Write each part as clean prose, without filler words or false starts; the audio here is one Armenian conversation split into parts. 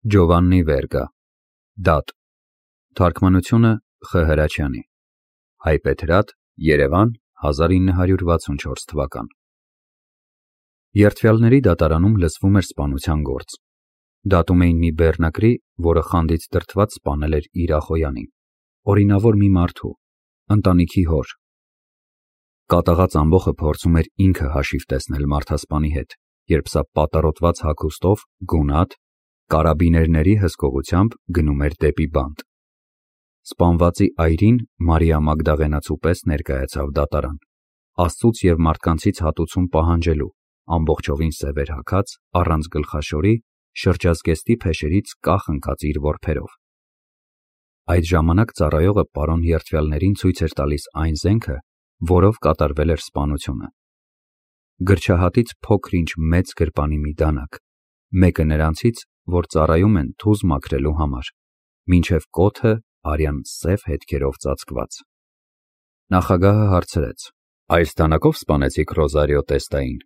Ջովաննի Վերգա, Դատ, թարգմանությունը Խ. Հրաչյանի, հայբեթրատ, Երևան, 1964 թվական։ Երդվյալների դատարանում լսվում էր սպանության գործ։ Դատում էին մի բեռնակրի, որը խանդից դրդված սպանել էր իր ախոյանին, օրինավոր մի մարդու, ընտանիքի հոր։ Կատաղած ամբոխը փորձում էր ինքը հաշիվ տեսնել մարդասպանի հետ, երբ սա պատառոտված հագուստով, գունատ, կարաբիներների հսկողությամբ գնում էր դեպի բանտ։ Սպանվածի այրին Մարիա Մագդաղենացու պես ներկայացավ դատարան, Աստծուց և մարդկանցից հատուցում պահանջելու, ամբողջովին սևեր հագած, առանց գլխաշորի, շրջազգեստի փեշերից կախ ընկած իր որբերով։ Այդ ժամանակ ծառայողը պարոն երդվյալներին ցույց էր տալիս այն զենքը, որով կատարվել էր սպանությունը։ Գրչահատից փոքր-ինչ մեծ գրպանի մի դանակ, մեկը նրանցից, որ ծառայում են թուզ մաքրելու համար, մինչև կոթը արյան սև հետքերով ծածկված։ Նախագահը հարցրեց. «Այս դանակով սպանեցիք Ռոզարիո Տեստային»։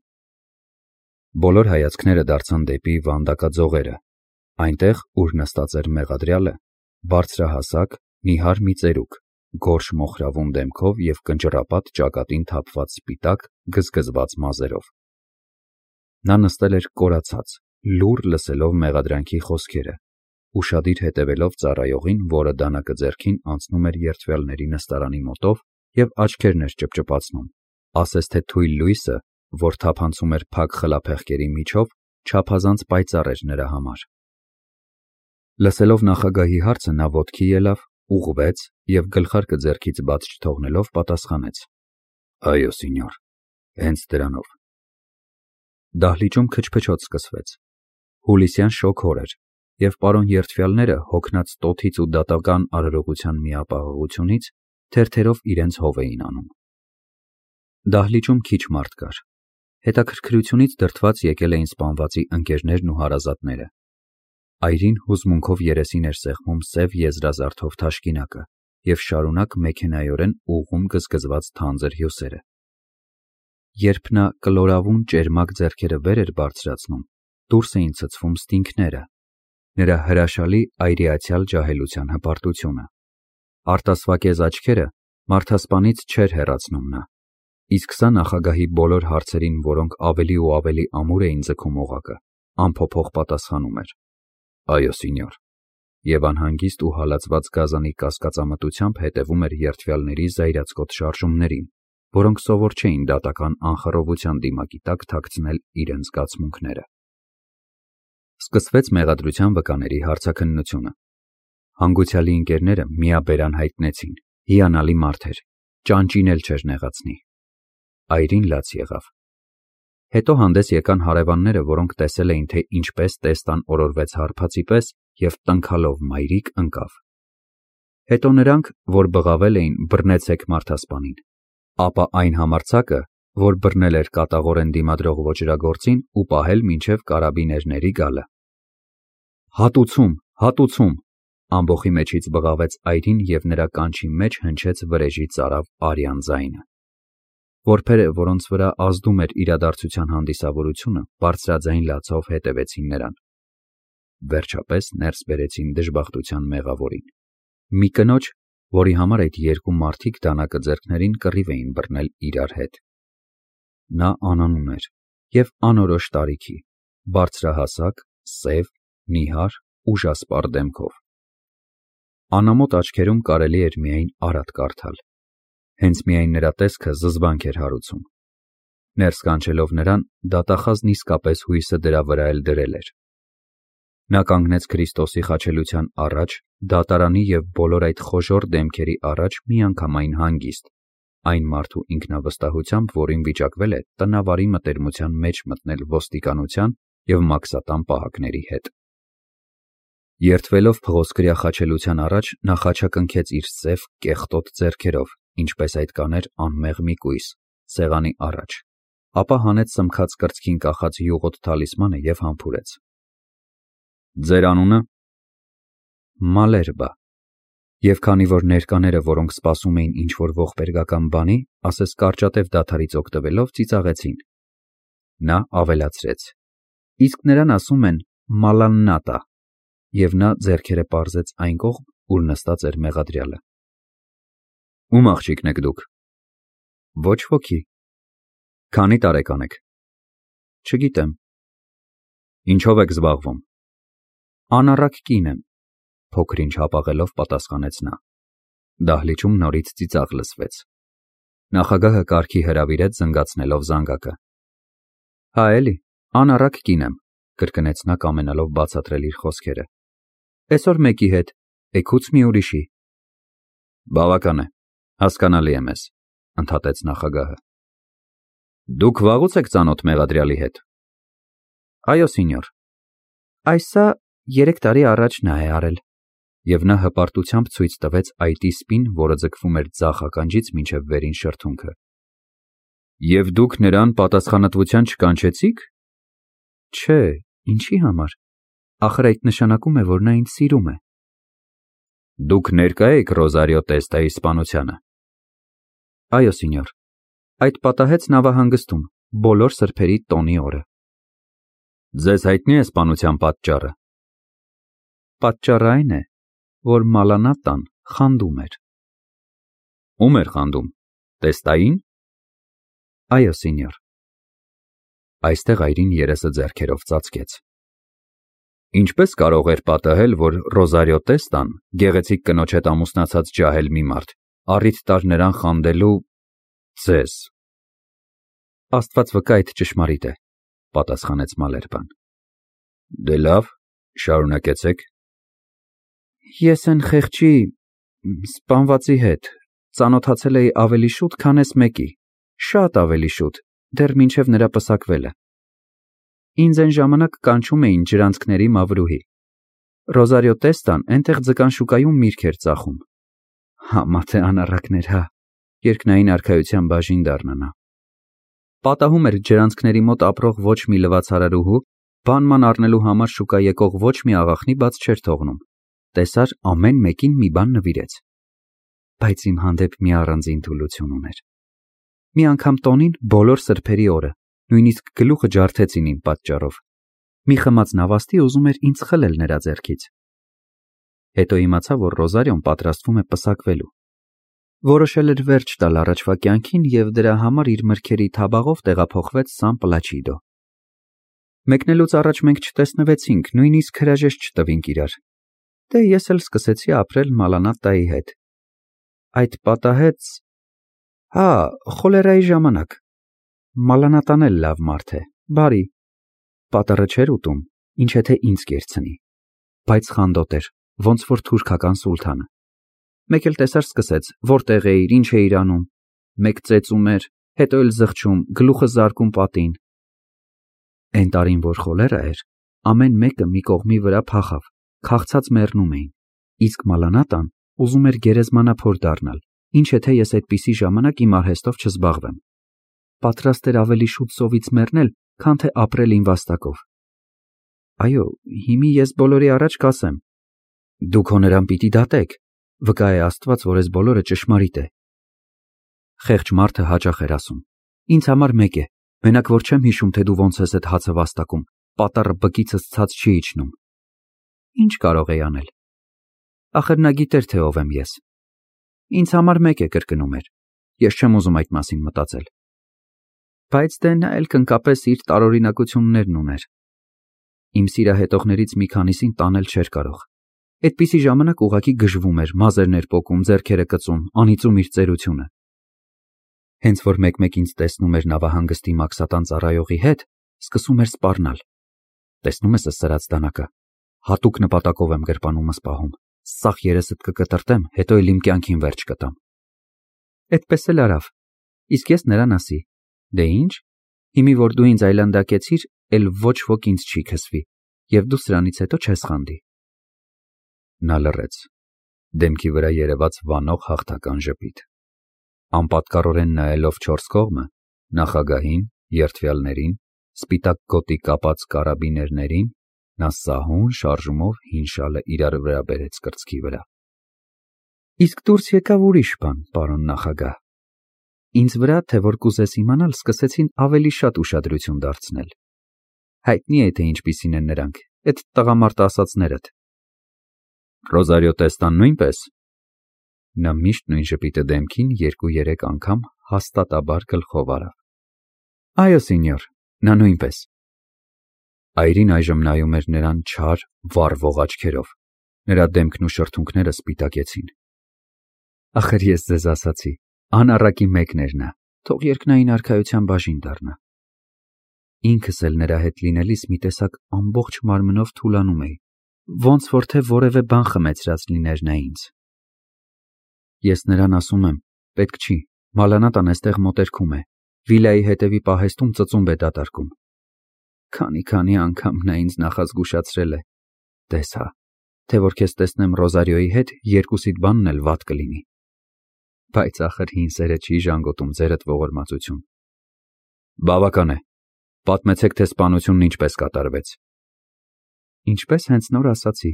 Բոլոր հայացքները դարձան դեպի վանդակաձողերը, այնտեղ, ուր նստած էր մեղադրյալը, բարձրահասակ, նիհար մի ծերուկ, գորշ մոխրավուն դեմքով և կնճռապատ ճակատին թափված սպիտակ, գզգզված մազերով։ Նա նստել էր կորացած, լուռ լսելով մեղադրանքի խոսքերը, ուշադիր հետևելով ծառայողին, որը դանակը ձեռքին անցնում էր երդվյալների նստարանի մոտով և աչքերն էր ճպճպացնում, ասես թե թույլ լույսը, որ թափանցում էր փակ խլափեղկերի միջով, չափազանց պայծառ էր նրա համար։ Լսելով նախագահի հարցը, նա ոտքի ելավ, ուղղվեց և գլխարկը ձեռքից բաց չթողնելով պատասխանեց. «Այո, սենյոր, հենց դրանով»։ Դահլիճում քչփչոց սկսվեց։ Հուլիսյան շոգ օր էր, և պարոն երդվյալները, հոգնած տոթից ու դատական արարողության միապաղաղությունից, թերթերով իրենց հով էին անում։ Դահլիճում քիչ մարդ կար։ Հետաքրքրությունից դրդված եկել էին սպանվածի ընկերներն ու հարազատները։ Այրին հուզմունքով երեսին էր սեղմում սև եզրազարդով թաշկինակը և շարունակ մեքենայորեն ուղղում գզգզված թանձր հյուսերը։ Երբ նա կլորավուն ճերմակ ձեռքերը վեր էր բարձրացնում, դուրս էին ցցվում ստինգները, նրա հրաշալի այրիացյալ ջահելության հպարտությունը։ Արտասվակեզ աչքերը մարդասպանից չէր հեռացնում նա, իսկ սա նախագահի բոլոր հարցերին, որոնք ավելի ու ավելի ամուր էին ձգում օղակը, անփոփոխ պատասխանում էր. «Այո, սենյոր», և անհանգիստ ու հալածված գազանի կասկածամտությամբ հետևում էր երդվյալների զայրացկոտ շարժումներին, որոնք սովոր չէին դատական անխռովության դիմակի տակ թաքցնել իրենց զգացմունքները։ Սկսվեց մեղադրության վկաների հարցաքննությունը։ Հանգուցյալի ընկերները միաբերան հայտնեցին. հիանալի մարդ էր, ճանճին էլ չէր նեղացնի։ Այրին լաց եղավ։ Հետո հանդես եկան հարևանները, որոնք տեսել էին, թե ինչպես Տեստան օրորվեց հարբածի պես և տնքալով մայրիկ ընկավ։ Հետո նրանք, որ բղավել էին, բռնեցեք մարդասպանին, ապա այն համարձակը, որ բռնել էր կատաղորեն դիմադրող ոճրագործին ու պահել մինչև կարաբիներների գալը։ «Հատուցում, հատուցում», ամբոխի մեջից բղավեց այրին և նրա կանչի մեջ հնչեց վրեժի ծարավ արյան ձայնը։ Որբերը, որոնց վրա ազդում էր իրադարձության հանդիսավորությունը, բարձրաձայն լացով հետևեցին նրան։ Վերջապես ներս բերեցին դժբախտության մեղավորին, մի կնոջ, որի համար այդ երկու մարդիկ դանակը ձեռքներին կռիվ էին բռնել իրար հետ։ Նա անանուն էր և անորոշ տարիքի, բարձրահասակ, սև, նիհար, ուժասպառ դեմքով։ Անամոտ աչքերում կարելի էր միայն արատ կարդալ։ Հենց միայն նրա տեսքը զզվանք էր հարուցում։ Ներս կանչելով նրան, դատախազն իսկապես հույսը դրա վրա էլ դրել էր։ Նա կանգնեց Քրիստոսի խաչելության առաջ, դատարանի և բոլոր այդ խոժոռ դեմքերի առաջ միանգամայն հանգիստ, այն մարդու ինքնավստահությամբ, որին վիճակվել է տնավարի մտերմության մեջ մտնել ոստիկանության և մաքսատան պահակների հետ։ Երդվելով փղոսկրյա խաչելության առաջ, նա խաչակնքեց իր սև, կեղտոտ ձեռքերով, ինչպես այդ կաներ անմեղ մի կույս, սեղանի առաջ, ապա հանեց սմքած կրծքին կախած յուղոտ թալիսմանը և համբուրեց. «Ձեր անունը»։ Մալերբա։ Եվ քանի որ ներկաները, որոնք սպասում էին ինչ-որ ողբերգական բանի, ասես կարճատև դադարից օգտվելով, ծիծաղեցին։ Նա ավելացրեց. «Իսկ նրան ասում են Մալաննատա»։ Եվ նա ձեռքերը պարզեց այն կողմ, ուր նստած էր մեղադրյալը։ Ում աղջիկն եք դուք։ Ոչ ոքի։ Քանի տարեկան եք։ Չգիտեմ։ Ինչով եք զբաղվում։ Անառակ կին եմ, փոքր-ինչ հապաղելով պատասխանեց նա։ Դահլիճում նորից ծիծաղ լսվեց։ Նախագահը կարգի հրավիրեց զնգացնելով զանգակը։ Հա էլի, անառակ կին եմ, կրկնեց նա կամենալով բացատրել իր խոսքերը։ Այսօր մեկի հետ, էգուց մի ուրիշի։ Բավական է, հասկանալի է մեզ, ընդհատեց նախագահը։ Դուք վաղուց եք ծանոթ մեղադրյալի հետ։ Այո, սենյոր։ Այսա 3 տարի առաջ նա է արել։ Եվ նա հպարտությամբ ցույց տվեց այտի սպին, որը ձգվում էր ձախ ականջից մինչև վերին շրթունքը։ Եվ դուք նրան պատասխանատվության չկանչեցիք։ Չէ, ինչի համար։ Ախր այդ նշանակում է, որ նա ինձ սիրում է։ Դուք ներկա եք Ռոզարիո Տեստայի սպանությանը։ Այո, սենյոր։ Այդ պատահեց նավահանգստում, բոլոր սրբերի տոնի օրը։ Ձեզ հայտնի է սպանության պատճառը։ Պատճառը այն է, որ Մալանատան խանդում էր։ Ում էր խանդում։ Տեստային։ Այո, սենյոր։ Այստեղ այրին երեսը ձեռքերով ծածկեց։ Ինչպես կարող էր պատահել, որ Ռոզարիո Տեստան, գեղեցիկ կնոջ հետ ամուսնացած ջահել մի մարդ, առիթ տար նրան խանդելու ձեզ։ Աստված վկա, այդ ճշմարիտ է, պատասխանեց Մալերբան։ Դե լավ, շարունակեցեք։ Ես այն խեղճի սպանվածի հետ ծանոթացել էի ավելի շուտ, քան էս մեկի, շատ ավելի շուտ, դեռ մինչև նրա պսակվելը։ Ինձ այն ժամանակ կանչում էին ջրանցքների մավրուհի։ Ռոզարիո Տեստան այնտեղ ձկան շուկայում միրգ էր ծախում։ Համա թե անառակներ, հա, երկնային արքայության բաժին դառնանա։ Պատահում էր ջրանցքների մոտ ապրող ոչ մի լվացարարուհու բանման առնելու համար շուկա եկող ոչ մի աղախնի բաց չէր թողնում։ Տեսար ամեն մեկին մի բան նվիրեց։ Բայց իմ հանդեպ մի առանձին թուլություն ուներ։ Մի անգամ տոնին բոլոր սրբերի օրը, նույնիսկ գլուխը ջարդեցին իմ պատճառով։ Մի խմած նավաստի ուզում էր ինձ խլել նրա ձեռքից։ Հետո իմացա, որ Ռոզարիոն պատրաստվում է պսակվելու։ Որոշել էր վերջ տալ առաջվա կյանքին և դրա համար իր մրգերի թաբաղով տեղափոխվեց Սան Պլաչիդո։ Մեկնելուց առաջ մենք չտեսնվեցինք, նույնիսկ հրաժեշտ չտվինք իրար։ Դե ես էլ սկսեցի ապրել Մալանատայի հետ։ Այդ պատահեց… Հա, խոլերայի ժամանակ։ Մալանատան էլ լավ մարդ է, բարի։ Պատառը չէր ուտում, ինչ եթե ինձ կերցնի, բայց խանդոտ էր, ոնց որ թուրքական սուլթանը։ Մեկ էլ տեսար սկսեց, որտեղ էիր, ինչ էիր անում։ Մեկ ծեծում էր, հետո էլ զղջում, գլուխը զարկում պատին։ Էն տարին, որ խոլերա էր, ամեն մեկը մի կողմի վրա փախավ, քաղցած մեռնում էին, իսկ Մալանատան ուզում էր գերեզմանափոր դառնալ, ինչ եթե ես այդպիսի ժամանակ իմ արհեստով չզբաղվեմ։ Պատրաստ էր ավելի շուտ սովից մեռնել, քան թե ապրել իմ վաստակով։ Այո, հիմի ես բոլորի առաջ կասեմ. դուք հո նրան պիտի դատեք, վկա է Աստված, որ այս բոլորը ճշմարիտ է։ Խեղճ մարդը հաճախ էր ասում. ինձ համար մեկ է, մենակ որ չեմ հիշում, թե դու ոնց ես այդ հացը վաստակում, պատառը բկիցս ցած չի իջնում։ Ինչ կարող էի անել։ Ախր նա գիտեր, թե ով եմ ես։ Ինձ համար մեկ է, կրկնում էր։ Ես չեմ ուզում այդ մասին մտածել։ Բայց դե նա էլ կնկապես իր տարօրինակություններն ուներ։ Իմ սիրահետողներից մի քանիսին տանել չէր կարող։ Այդպիսի ժամանակ ուղղակի գժվում էր, մազերներ պոկում, ձեռքերը կծում, անիծում իր ծերությունը։ Հենց որ մեկ-մեկ ինձ տեսնում էր նավահանգստի մաքսատան ծառայողի հետ, սկսում էր սպառնալ։ Տեսնում ես այս սրած դանակը, հատուկ նպատակով եմ գրպանումս պահում, սաղ երեսդ կկտրտեմ, հետո էլ իմ կյանքին վերջ կտամ։ Այդպես էլ արավ, իսկ ես նրան ասի. դե ինչ, հիմի որ դու ինձ այլանդակեցիր, էլ ոչ ոք ինձ չի քսվի, և դու սրանից հետո չես խանդի։ Նա լռեց, դեմքի վրա երևաց վանող հաղթական ժպիտ։ Անպատկառորեն նայելով չորս կողմը, նախագահին, երդվյալներին, սպիտակ գոտի կապած կարաբիներներին, նա սահուն շարժումով հին շալը իրար վրա բերեց կրծքի վրա։ Իսկ դուրս եկավ ուրիշ բան, պարոն նախագահ։ Ինձ վրա, թե որ կուզես իմանալ, սկսեցին ավելի շատ ուշադրություն դարձնել։ Հայտնի է, թե ինչպիսին են նրանք, այդ տղամարդ ասածներդ, Ռոզարիո Տեստան նույնպես։ Նա միշտ նույն ժպիտը դեմքին 2-3 անգամ հաստատաբար գլխով արավ։ Այո, սենյոր, նա նույնպես։ Այրին այժմ նայում էր նրան չար, վառվող աչքերով։ Նրա դեմքն ու շրթունքները սպիտակեցին։ Ախր ես ձեզ ասացի, անառակի մեկն էր նա, թող երկնային արքայության բաժին դառնա։ Ինքս էլ նրա հետ լինելիս մի տեսակ ամբողջ մարմնով թուլանում էի, ոնց որ թե որևէ բան խմեցրած լիներ նա ինձ։ Ես նրան ասում եմ, պետք չի, Մալանատան այստեղ մոտերքում է, վիլայի հետևի պահեստում ծծումբ է դատարկում։ Քանի անգամ նա ինձ նախազգուշացրել է, տես հա, թե որ քեզ տեսնեմ Ռոզարիոյի հետ, երկուսիդ բանն էլ վատ կլինի։ Բայց ախր հին սերը չի ժանգոտում ձերդ ողորմածություն։ Բավական է, պատմեցեք, թե սպանությունն ինչպես կատարվեց։ Ինչպես հենց նոր ասացի,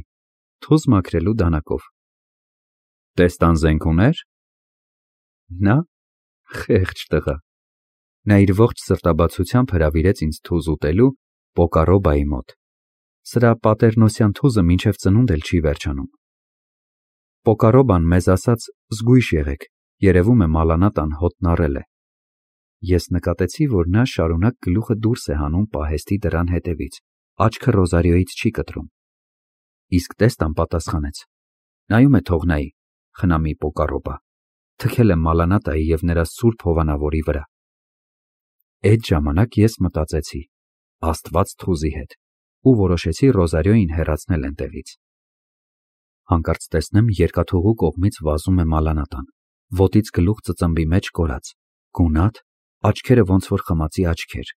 թուզ մաքրելու դանակով։ Տեստան զենք ուներ։ Նա խեղճ տղա։ Նա իր ողջ սրտաբացությամբ հրավիրեց ինձ թուզ ուտելու Պոկարոբայի մոտ։ Սրա պատերնոսյան թուզը մինչև ծնունդ էլ չի վերջանում։ Պոկարոբան մեզ ասաց զգույշ եղեք, երևում է Մալանատան հոտն առել է։ Ես նկատեցի, որ նա շարունակ գլուխը դուրս է հանում պահեստի դռան հետևից, աչքը Ռոզարիոյից չի կտրում։ Իսկ Տեստան պատասխանեց. նայում է թողնայի, խնամի Պոկարոբա, թքել է Մալանատայի և նրա սուրբ հովանավորի վրա։ Այդ ժամանակ ես մտածեցի, Աստված թուզի հետ, ու որոշեցի Ռոզարիոյին հեռացնել այնտեղից։ Հանկարծ տեսնեմ երկաթուղու կողմից վազում է Մալանատան, ոտից գլուխ ծծմբի մեջ կորած, գունատ, աչքերը ոնց որ խմածի աչքեր։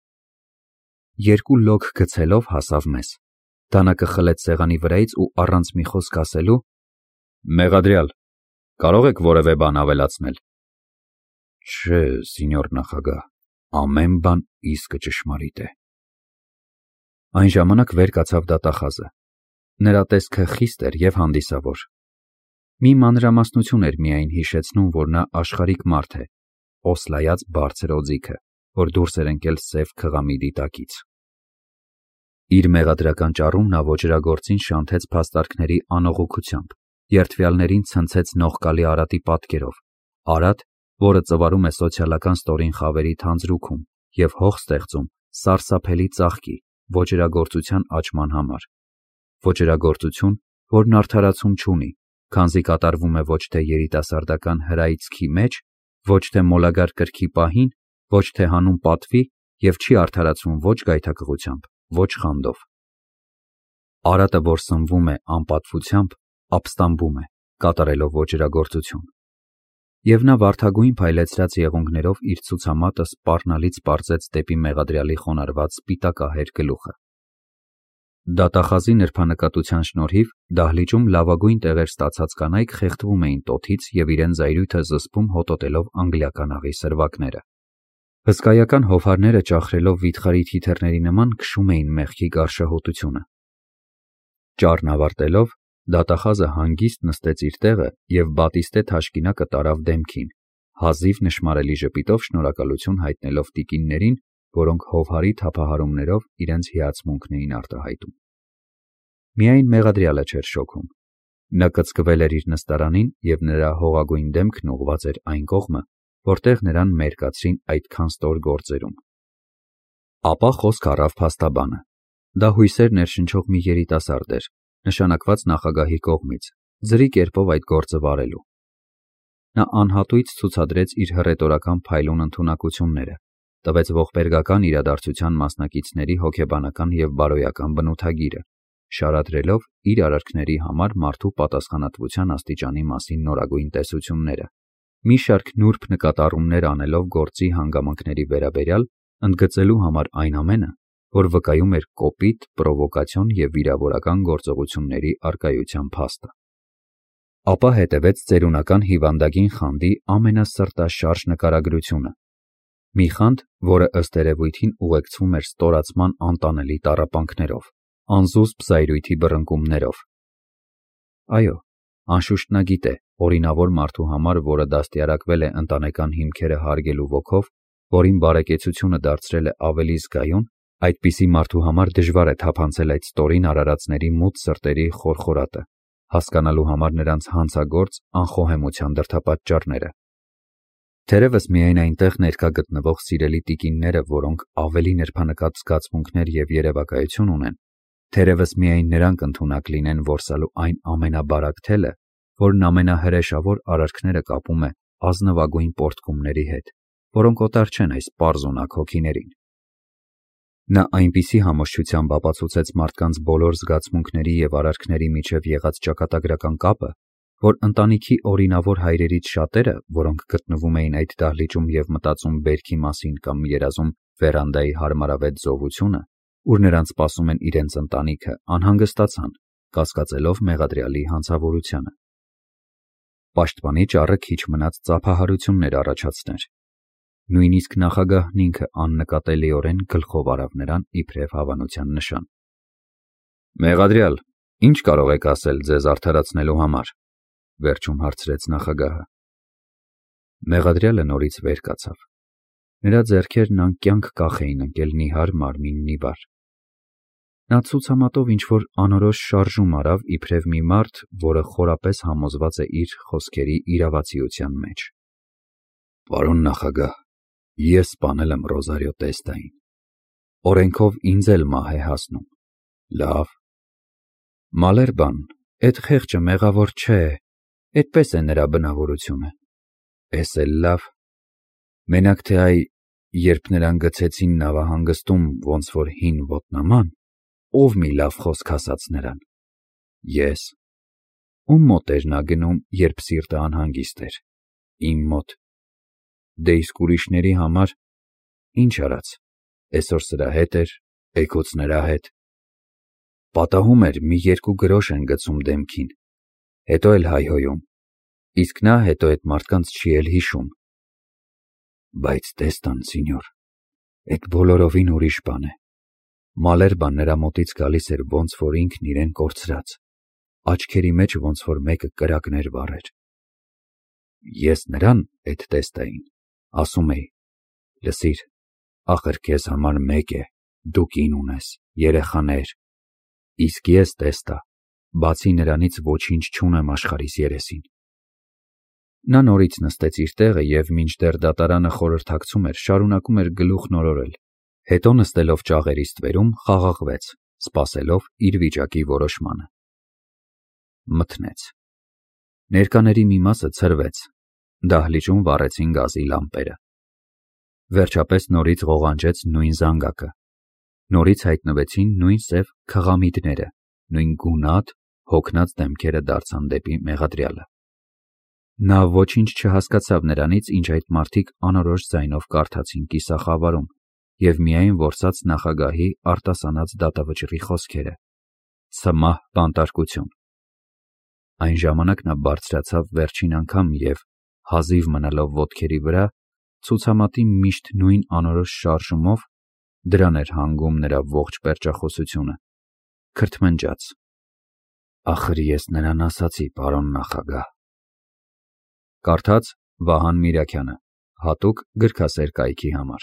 Երկու լոկ գցելով հասավ մեզ, դանակը խլեց սեղանի վրայից ու առանց մի խոսք ասելու. Մեղադրյալ, կարող եք որևէ բան ավելացնել։ Չէ, սենյոր նախագահ, ամեն բան իսկը ճշմարիտ է։ Այն ժամանակ վեր կացավ դատախազը։ Նրա տեսքը խիստ էր և հանդիսավոր։ Մի մանրամասնություն էր միայն հիշեցնում, որ նա աշխարհիկ մարդ է, օսլայած բարձր օձիքը, որ դուրս էր ընկել սև քղամի դիտակից։ Իր մեղադրական ճառում նա ոճրագործին շանթեց փաստարկների անողոքությամբ, երդվյալներին ցնցեց նողկալի Արատի պատկերով, Արատ, որը ծվարում է սոցիալական ստորին խավերի թանձրուքում և հող ստեղծում սարսափելի ծաղկի, ոճրագործության աճման համար։ Ոճրագործություն, որն արդարացում չունի, քանզի կատարվում է ոչ թե երիտասարդական հրայցքի մեջ, ոչ թե մոլագար կրքի պահին, ոչ թե հանուն պատվի և չի արդարացվում ոչ գայթակղությամբ, ոչ խանդով։ Արատը, որ սնվում է անպատվությամբ, ապստամբում է, կատարելով ոճրագործություն։ Եվ նա վարդագույն փայլեցրած եղունգներով իր ցուցամատը սպառնալից պարզեց դեպի մեղադրյալի խոնարհված սպիտակահեր գլուխը։ Դատախազի նրբանկատության շնորհիվ դահլիճում լավագույն տեղեր ստացած կանայք խեղդվում էին տոթից և իրենց զայրույթը զսպում հոտոտելով անգլիական աղի սրվակները։ Հսկայական հովհարները ճախրելով վիթխարի թիթեռների նման քշում էին մեղքի գարշահոտությունը։ Ճառն ավարտելով, դատախազը հանգիստ նստեց իր տեղը և բատիստե թաշկինակը տարավ դեմքին, հազիվ նշմարելի ժպիտով շնորհակալություն հայտնելով տիկիններին, որոնք հովհարի թափահարումներով իրենց հիացմունքն էին արտահայտում։ Միայն մեղադրյալը չէր շոքում։ Նա կծկվել էր իր նստարանին և նրա հողագույն դեմքն ուղղված էր այն կողմը, որտեղ նրան մերկացրին այդքան ստոր գործերում։ Ապա խոսք առավ փաստաբանը։ Դա հույսեր ներշնչող մի երիտասարդ էր, նշանակված նախագահի կողմից, ձրի կերպով այդ գործը վարելու։ Նա անհատույց ցուցադրեց իր հռետորական փայլուն ընդունակությունները, տվեց ողբերգական իրադարձության մասնակիցների հոգեբանական և բարոյական բնութագիրը, շարադրելով իր արարքների համար մարդու պատասխանատվության աստիճանի մասին նորագույն տեսությունները, մի շարք նուրբ նկատառումներ անելով գործի հանգամանքների վերաբերյալ, ընդգծելու համար այն ամենը, որ վկայում էր կոպիտ, պրովոկացիոն և վիրավորական գործողությունների առկայության փաստը։ Ապա հետևեց ծերունական հիվանդագին խանդի ամենասրտաշարժ նկարագրությունը։ Մի խանդ, որը ըստ երևույթին ուղեկցվում էր ստորացման անտանելի տառապանքներով, անզուսպ զայրույթի բռնկումներով։ Այո, անշուշտ նա գիտե, օրինավոր մարդու համար, որը դաստիարակվել է ընտանեկան հիմքերը հարգելու ոգով, որին բարեկեցությունը դարձրել է ավելի զգայուն, այդպիսի մարդու համար դժվար է թափանցել այդ ստորին արարածների մութ սրտերի խորխորատը, հասկանալու համար նրանց հանցագործ անխոհեմության դրդապատճառները։ Թերևս միայն այնտեղ ներկա գտնվող սիրելի տիկինները, որոնք ավելի նրբանկատ զգացմունքներ և երևակայություն ունեն, թերևս միայն նրանք ընդունակ լինեն որսալու այն ամենաբարակ թելը, որն ամենահրեշավոր արարքները կապում է ազնվագույն պոռթկումների հետ, որոնք օտար չեն այս պարզունակ հոգիներին։ Նա այնպիսի համոզչությամբ ապացուցեց մարդկանց բոլոր զգացմունքների և արարքների միջև եղած ճակատագրական կապը, որ ընտանիքի օրինավոր հայրերից շատերը, որոնք գտնվում էին այդ դահլիճում և մտածում բերքի մասին կամ երազում վերանդայի հարմարավետ զովությունը, ուր նրանց սպասում են իրենց ընտանիքը, անհանգստացան, կասկածելով մեղադրյալի հանցավորությանը։ Պաշտպանի ճառը քիչ մնաց ծափահարություններ առաջացներ։ Նույնիսկ նախագահն ինքը աննկատելիորեն գլխով արավ նրան իբրև հավանության նշան։ «Մեղադրյալ, ինչ կարող եք ասել ձեզ արդարացնելու համար», վերջում հարցրեց նախագահը։ Մեղադրյալը նորից վեր կացավ։ Նրա ձեռքերն անկյանք կախ էին ընկել նիհար մարմինն ի վար։ Նա ցուցամատով ինչ-որ անորոշ շարժում արավ իբրև մի մարդ, որը խորապես համոզված է իր խոսքերի իրավացիության մեջ։ «Պարոն նախագահ, ես սպանել եմ Ռոզարիո Տեստային։ Օրենքով ինձ էլ մահ է հասնում։ Լավ։ Մալերբան, էդ խեղճը մեղավոր չէ, էդպես է նրա բնավորությունը։ Էս էլ լավ։ Մենակ թե այ, երբ նրան գցեցին նավահանգստում ոնց որ հին ոտնաման, ով մի լավ խոսք ասաց նրան։ Ես։ Ում մոտ էր նա գնում, երբ սիրտը անհանգիստ էր։ Իմ մոտ։ Դե իսկ ուրիշների համար ինչ արած, էսօր սրա հետ էր, էգուց նրա հետ։ Պատահում էր մի երկու գրոշ են գցում դեմքին, հետո էլ հայհոյում, իսկ նա հետո էդ մարդկանց չի էլ հիշում։ Բայց Տեստան, սինյոր, էդ բոլորովին ուրիշ բան է։ Մալերբան նրա մոտից գալիս էր ոնց որ ինքն իրեն կորցրած, աչքերի մեջ ոնց որ մեկը կրակներ վառեր։ Ես նրան, էդ Տեստային, ասում էի. լսիր, ախր քեզ համար մեկ է, դու կին ունես, երեխաներ, իսկ ես, Տեստա, բացի նրանից ոչինչ չունեմ աշխարհիս երեսին։ Նա նորից նստեց իր տեղը և մինչդեռ դատարանը խորհրդակցում էր, շարունակում էր գլուխն օրորել, հետո նստելով ճաղերի ստվերում խաղաղվեց, սպասելով իր վիճակի որոշմանը։ Մթնեց։ Ներկաների մի մասը ցրվեց, դահլիճում վառեցին գազի լամպերը։ Վերջապես նորից ղողանջեց նույն զանգակը, նորից հայտնվեցին նույն սև քղամիդները, նույն գունատ, հոգնած դեմքերը դարձան դեպի մեղադրյալը։ Նա ոչինչ չհասկացավ նրանից, ինչ այդ մարդիկ անորոշ ձայնով կարդացին կիսախավարում և միայն որսաց նախագահի արտասանած դատավճռի խոսքերը. «Սմահ բանտարկություն»։ Այն ժամանակ նա բարձրացավ վերջին անգամ և, հազիվ մնալով ոտքերի վրա, ցուցամատի միշտ նույն անորոշ շարժումով, դրան էր հանգում նրա ողջ պերճախոսությունը, քրթմնջաց. «Ախր ես նրան ասացի, պարոն նախագահ»։ Կարդաց Վահան Միրաքյանը, հատուկ գրքասեր կայքի համար։